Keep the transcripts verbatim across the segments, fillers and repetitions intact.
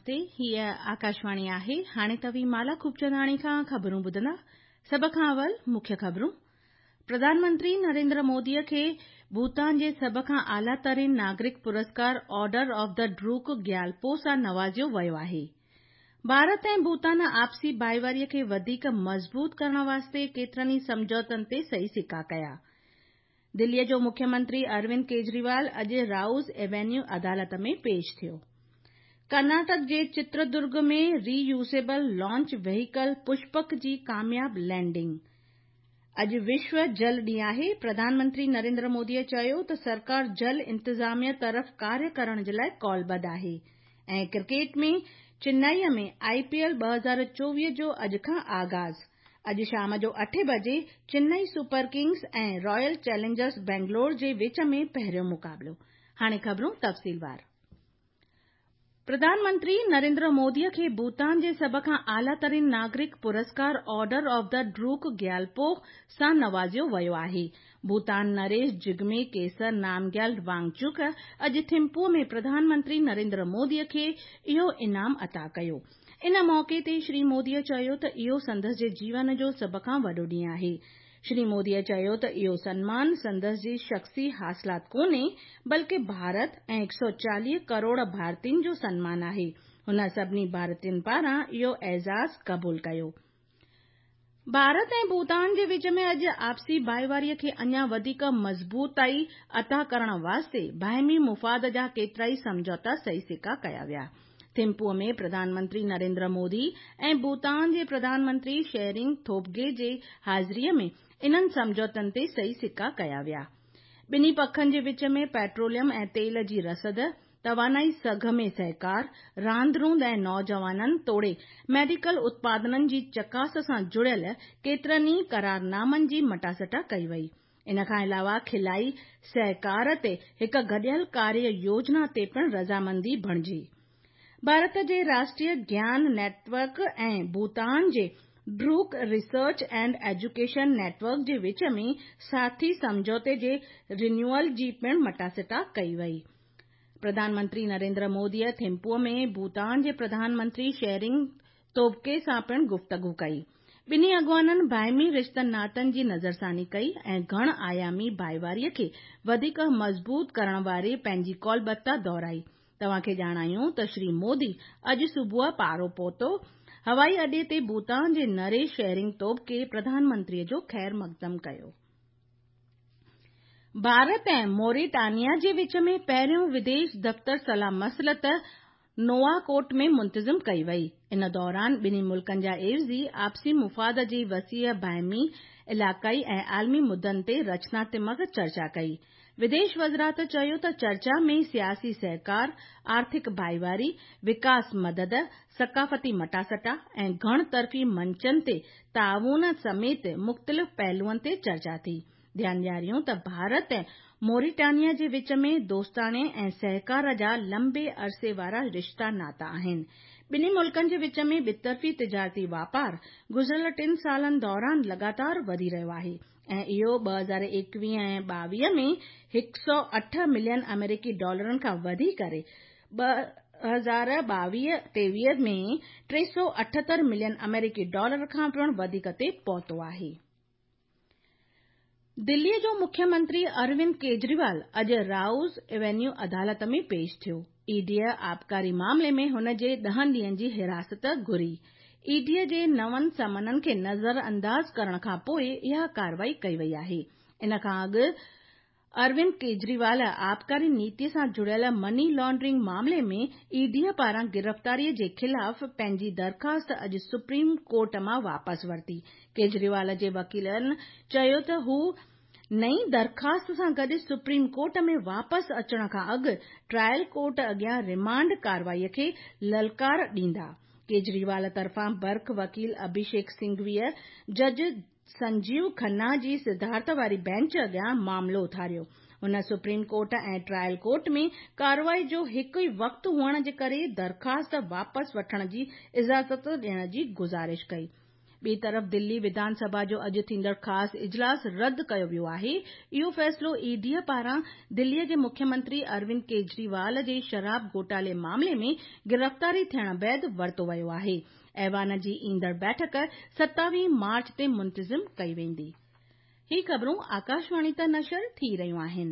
نمستي، هيء آڪاشواڻي آهي. هاڻي توهين مالا خوبچنداڻي کان خبرون ٻڌندا. سڀ کان اول مکيه خبرون. پرڌان منتري نريندر موديء کي ڀوتان جي سڀ کان اعليٰ ترين ناگرڪ پرسڪار آرڊر آف the ڊروڪ گيالپو سان نوازيو ويو آهي. ڀارت ۽ ڀوتان آپسي ڀائيواريء کي وڌيڪ مضبوط ڪرڻ واسطي ڪيترن ئي سمجهوتن تي صحيح سڪا ڪيا. دليء جو مکيه منتري اروند ڪيجريوال اڄ رائوز ايوينيو عدالت ۾ پيش ٿيو. ڪرناٽڪ جي چتردرگ ۾ ري يوزيبل لانچ وهيڪل پشپڪ جي ڪامياب لينڊنگ. اڄ وشو جل ڏينهن آهي. پرڌان منتري نريندر موديء چيو ته سرڪار جل انتظاميه طرف ڪاريه ڪرڻ جي لاءِ قولبڌ آهي. ۽ ڪرڪيٽ ۾ چنائيء ۾ آءِ پي ايل ٻه هزار چوويهه جو اڄ کان آغاز. اڄ شام جو اٺين بجي Chennai super Kings ۽ Royal Challengers Bangalore جي وچ ۾ پهريون مقابلو. هاڻي خبرون تفصيلوار. پرڌان منتري نريندر موديء کي ڀوتان جي سڀ کان اعليٰ ترين ناگرڪ پرسڪار آرڊر آف the ڊروڪ گيالپو سان نوازيو ويو آهي. ڀوتان نريش جگمي ڪيسر نامگيال وانگچڪ اڄ ٿمپوء ۾ پرڌان منتري نريندر موديء کي اهو انعام عطا ڪيو. ان موقعي تي شري موديء چيو ته اهو سندس جي جيون جو سڀ کان وڏو ڏينهن آهي. شري موديء چيو ته اهو سنمان سندس جي شخصي حاصلات ڪونهي، بلڪه ڀارت ۽ هڪ سؤ چاليهه ڪروڙ ڀارتين جو سنمان آهي. هن سڀني ڀارتين پاران اهو اعزاز قبول ڪيو. ڀارت ۽ ڀوتان جي وچ ۾ اڄ آپسي ڀائيواريء کي اڃا وڌيڪ مضبوطائي عطا ڪرڻ واسطي باهمي مفاد جا ڪيترائي سمجهوتا صحيح سڪا ڪيا ويا. ٿمپوء ۾ پرڌان منتري نريندر مودي ۽ ڀوتان جي پرڌان منتري شيرنگ ٿوبگي جي حاضريء ۾ انهن سمجهوتن تي صحيح سڪا ڪيا ويا. ٻنهي پکن جي وچ ۾ پيٽروليم ۽ تيل جي رسد، توانائي سگهه ۾ سهڪار، راند روند ۽ نوجوانن توڙي ميڊيڪل اتپادنن جي چڪاس سان جڙيل ڪيترن ئي قرارنامن جي مٽاسٽا ڪئي وئي. ان کان علاوه خلائي سهڪار تي هڪ گڏيل ڪاريه يوجنا تي پڻ رضامندي بڻجي. ڀارت جي راشٽريه گيان نيٽ ورڪ ۽ ڀوتان جي Druk research and education net work جي وچ ۾ ساٿي سمجهوتي جي رينيوئل جي پڻ مٽاسٽا ڪئي وئي. پرڌان منتري نريندر موديء ٿمپوء ۾ ڀوتان جي پرڌان منتري شيرنگ توبگي سان پڻ گفتگو ڪئي. ٻنهي اڳواڻن باهمي رشتن ناتن جي نظرثاني ڪئي ۽ گهڻ آيامي ڀائيواريء کي وڌيڪ مضبوط ڪرڻ واري پنهنجي قولبڌتا دهرائي. توهان کي ڄاڻايون ته شري مودي اڄ صبح پارو پهتو. هوائي اڏي تي ڀوتان جي نريش شيرنگ توبگي پرڌان منتريء جو خير مقدم ڪيو. ڀارت ۽ موريٽانيا جي وچ ۾ پهريون وديش دفتر صلاح مصلحت نوآڪوٽ ۾ منتظم ڪئي وئي. ان دوران ٻنهي ملڪن جا عيوضي آپسي مفاد جي وسيع باهمي، علائقائي ۽ عالمي مدن تي رچناتمڪ چرچا ڪئي. وديش وزارت چيو ته چرچا ۾ سياسي سهڪار، آرٿڪ ڀائيواري، وڪاس مدد، ثقافتي مٽاسٽا ۽ گهڻ طرفي منچن تي تعاون سميت مختلف پهلوئن تي چرچا ٿي. ڌيان ڏياريون ته ڀارت ۽ موريٽانيا جي وچ ۾ دوستاڻي ۽ سهڪار جا لمبي عرصي وارا رشتا ناتا آهن. ٻنهي ملڪن جي وچ ۾ ٻطرفي تجارتي واپار گذريل ٽن سالن دوران لڳاتار وڌي رهيو آهي ۽ اهو ٻه هزار ايڪويهه ۽ ٻاويهه ۾ هڪ سؤ اٺ ملين آمريڪي ڊالرن کان وڌي ڪري ٻه هزار ٻاويهه ٽيويهه ۾ ٽي سؤ اٺهتر ملين آمريڪي ڊالر کان پڻ وڌيڪ تي پهتو آهي. دليء جو مکيه منتري اروند ڪيجريوال اڄ رائوز ايوينيو عدالت ۾ پيش ٿيو. اي ڊيء آبڪاري معاملي ۾ هن جي ڏهن ڏينهن جي حراست گهري. اي ڊيء جي نون سمنن کي نظر انداز ڪرڻ کان پوءِ اها ڪارروائي ڪئي وئي آهي. ان کان اڳ اروند ڪيجريوال آبڪاري نيتي سان جڙيل مني لانڊرنگ معاملي ۾ اي ڊيء پاران گرفتاريء جي خلاف پنهنجي درخواست اڄ سپريم ڪورٽ مان واپس ورتي. ڪيجريوال جي وڪيلن چيو ته هو نئين درخواست سان گڏ سپريم ڪورٽ ۾ واپس اچڻ کان اڳ ٽرائل ڪورٽ اڳيان ريمانڊ ڪارروائي کي للڪار ڏيندا. ڪيجريوال طرفان برک وڪيل اڀيشيڪ سنگهويء جج سنجيو کنا جي صدارت واري بينچ اڳيان معاملو اٿاريو. هن سپريم ڪورٽ ۽ ٽرائل ڪورٽ ۾ ڪارروائي جو هڪ ئي وقت هئڻ جي ڪري درخواست واپس وٺڻ جي اجازت ڏيڻ جي گذارش ڪئي. ٻئي طرف دلي وڌان سڀا جو اڄ ٿيندڙ خاص اجلاس رد ڪيو ويو آهي. اهو فيصلو اي ڊي پاران دلي جي مکيه منتري اروند ڪيجريوال جي شراب گهوٽالي معاملي ۾ گرفتاري ٿيڻ بعد ورتو ويو آهي. ايوان جي ايندڙ بيٺڪ ستاويهه مارچ تي منتظم ڪئي ويندي. هي خبرون آڪاشواڻي تان نشر ٿي رهيون آهن.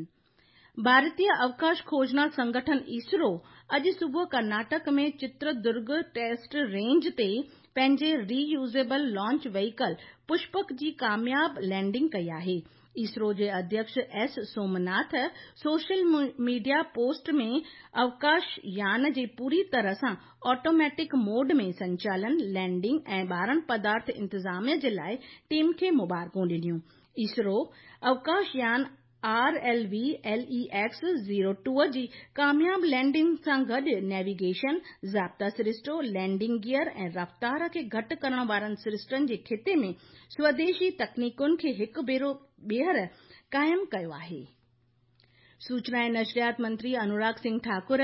ڀارتيه اوڪاش کوجنا سنگٺن اسرو اڄ صبح ڪرناٽڪ ۾ چتردرگ ٽيسٽ رينج تي پنهنجي ري يوزيبل لانچ وهيڪل پشپڪ جي ڪامياب لينڊنگ ڪئي آهي. اسرو جي اڌيڪش S Somanath social media post ۾ اوڪاش يان جي پوري طرح سان آٽوميٽڪ موڊ ۾ سنچالن، لينڊنگ ۽ ٻارڻ پدارٿ انتظام جي لاءِ ٽيم کي مبارڪون ڏنيون. اسرو اوڪاش يان R L V L E X zero two جي ڪامياب لينڊنگ سان گڏ نيويگيشن، ضابطا سرشتو، لينڊنگ گيئر ۽ رفتار کي گهٽ ڪرڻ وارن سرشتن جي خطي ۾ سوديشي تڪنيڪن کي هڪ ڀيرو ٻيهر قائم ڪيو آهي. سوچنا ۽ نشريات منتري Anurag Singh Thakur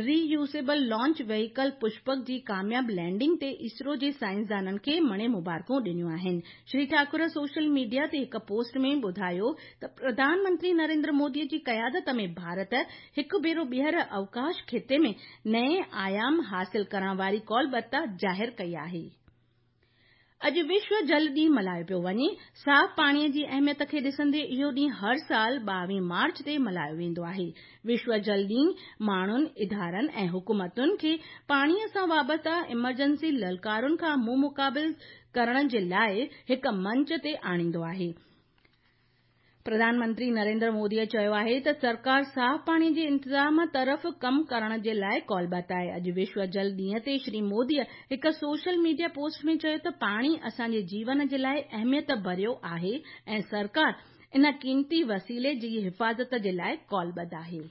reusable launch vehicle Pushpak جي ڪامياب لينڊنگ تي اسرو جي سائنسدانن کي مڻي مبارڪون ڏنيون آهن. شري ٺاڪر سوشل ميڊيا تي هڪ پوسٽ ۾ ٻڌايو ته پرڌان منتري نريندر مودي جي قيادت ۾ ڀارت هڪ ڀيرو ٻيهر اوڪاش خطي ۾ نئين آيام حاصل ڪرڻ واري ڪالبتا ظاهر ڪئي آهي. اڄ وشو جل ڏينهن ملهايو پيو وڃي. صاف پاڻيءَ جي اهميت کي ڏسندي اهو ڏينهن هر سال ٻاويهه مارچ تي ملهايو ويندو آهي. وشو جل ڏينهن ماڻهن، ادارن ۽ حڪومتن کي پاڻيءَ سان وابسته ايمرجنسي للڪارن کان منهن مقابل ڪرڻ جي لاءِ هڪ منچ تي آڻيندو آهي. پرڌان منتري نريندر موديءَ چيو آهي ته سرڪار صاف پاڻي جي انتظام طرف ڪم ڪرڻ جي لاءِ ڪالبت آهي. اڄ وشو جل ڏينهن تي شري موديءَ هڪ سوشل ميڊيا پوسٽ ۾ چيو ته پاڻي اسان جي جيون جي لاءِ اهميت ڀريو آهي ۽ سرڪار ان قيمتي وسيلي جي حفاظت جي لاءِ ڪالبد آهي.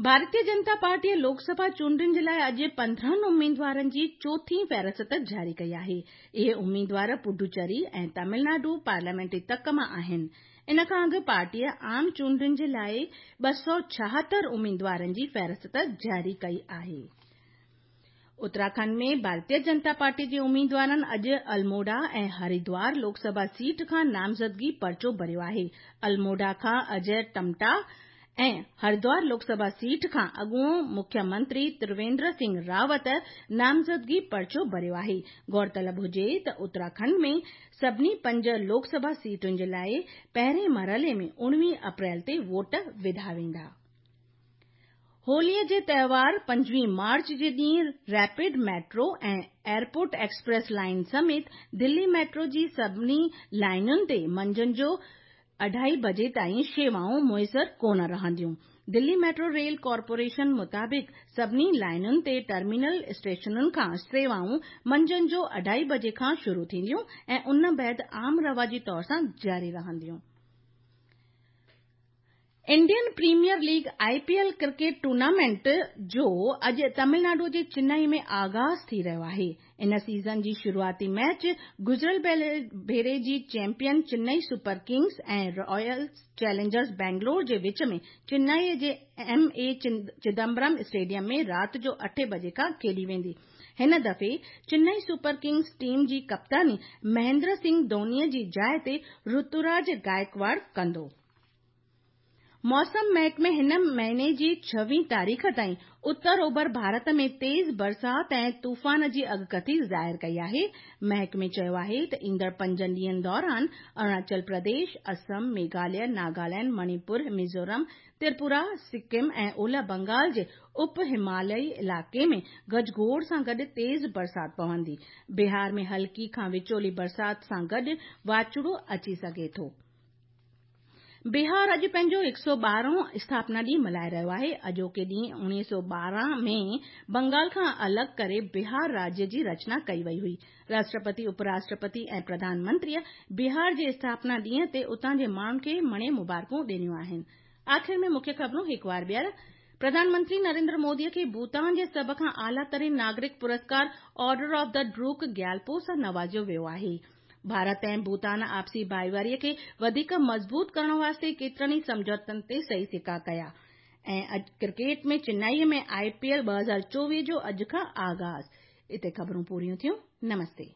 ڀارتيه جنتا پارٽيءَ لوڪ سڀا چونڊن جي لاءِ اڄ پندرهن اميدوارن جي چوٿين فهرست جاري ڪئي آهي. اهي اميدوار پڊوچيري ۽ تامل ناڊو پارليامينٽري تڪ مان آهن. ان کان اڳ پارٽيءَ عام چونڊن جي لاءِ ٻه سؤ ڇاهتر اميدوارن جي فهرست جاري ڪئي آهي. اتراکنڊ ۾ ڀارتيه جنتا پارٽي جي اميدوارن اڄ الموڙا ۽ هردوار لوڪ سڀا سيٽ کان نامزدگي پرچو ڀريو آهي. الموڙا کان اجي ٽمٽا ۽ هردوار لوڪ سڀا سيٽ کان اڳوڻو مکيه منتري ترويندر سنگهه راوت نامزدگي پرچو ڀريو آهي. غور طلب هجي ته اتراکنڊ ۾ سڀني پنج لوڪ سڀا سيٽن جي لاءِ پهرين مرحلي ۾ اڻويهه اپريل تي ووٽ وڌا ويندا. هوليءَ جي تهوار پنجويهه مارچ جي ڏينهن rapid metro ۽ airport express line سميت دلي ميٽرو جي سڀني لائينن تي منجهند جو اڍائي بجي تائين شيوائون ميسر ڪونه رهنديون. دلي ميٽرو ريل ڪارپوريشن مطابق سڀني لائينن تي ٽرمينل اسٽيشنن کان شيوائون منجهند جو اڍائي بجي کان شروع ٿينديون ۽ ان بعد عام رواجي طور سان جاري رهنديون. Indian Premier League I P L cricket tournament جو اڄ تامل ناڊو جي چنائي ۾ آغاز ٿي رهيو آهي. ان سيزن جي شروعاتي ميچ گذريل ڀيري جي champion Chennai Super Kings ۽ Royal Challengers Bangalore جي وچ ۾ چنائي جي ايم اي چدمبرم اسٽيڊيم ۾ رات جو اٺين بجي کان کيڏي ويندي. هن دفعي چنائي سپر ڪنگز ٽيم جي ڪپتاني مهيندر سنگهه ڌوني جي جاءِ تي رتوراج گائڪواڙ ڪندو. موسم محڪمي هن مهيني جي ڇويهه تاريخ تائين اتر اوڀر ڀارت ۾ تيز برسات ۽ طوفان جي اڳڪٿي ظاهر ڪئي آهي. محڪمي چيو آهي ته ايندڙ پنجن ڏينهن دوران اروناچل پرديش، اسم، ميگهاليه، ناگالينڊ، مڻيپور، ميزورم، تريپورا، سڪم ۽ اولهه بنگال جي اپ هماليائي علائقي ۾ گجگوڙ سان گڏ تيز برسات پوندي. بهار ۾ هلڪي کان وچولي برسات سان گڏ واچوڙو اچي سگهي ٿو. بهار اڄ پنهنجو هڪ سؤ ٻارهون اسٿاپنا ڏينهن ملهائي رهيو آهي. اڄوڪي ڏينهن اڻويهه سؤ ٻارهن ۾ بنگال کان الڳ ڪري بهار راجيه جي رچنا ڪئي وئي هئي. راشٽرپتي، اپ راشٽرپتي ۽ پرڌان منتريءَ بهار جي اسٿاپنا ڏينهن تي اتان جي ماڻهن کي مڻي مبارڪون ڏنيون آهن. آخر ۾ مکيه خبرون هڪ وار ٻيهر. پرڌان منتري نريندر موديءَ کي ڀوٽان جي سڀ کان اعليٰ ترين ناگرڪ پرسڪار Order of the Druk Gyalpo سان نوازيو ويو آهي. ڀارت ۽ ڀوٽان آپسي ڀائيواريءَ کي وڌيڪ مضبوط ڪرڻ واسطي ڪيترن ئي سمجهوتن تي صحيح سڪا ڪيا. ۽ cricket ۾ Chennai ۾ I P L ٻه هزار چوويهه جو اڄ کان آغاز. اتي خبرون پوريون ٿيون. نمستي.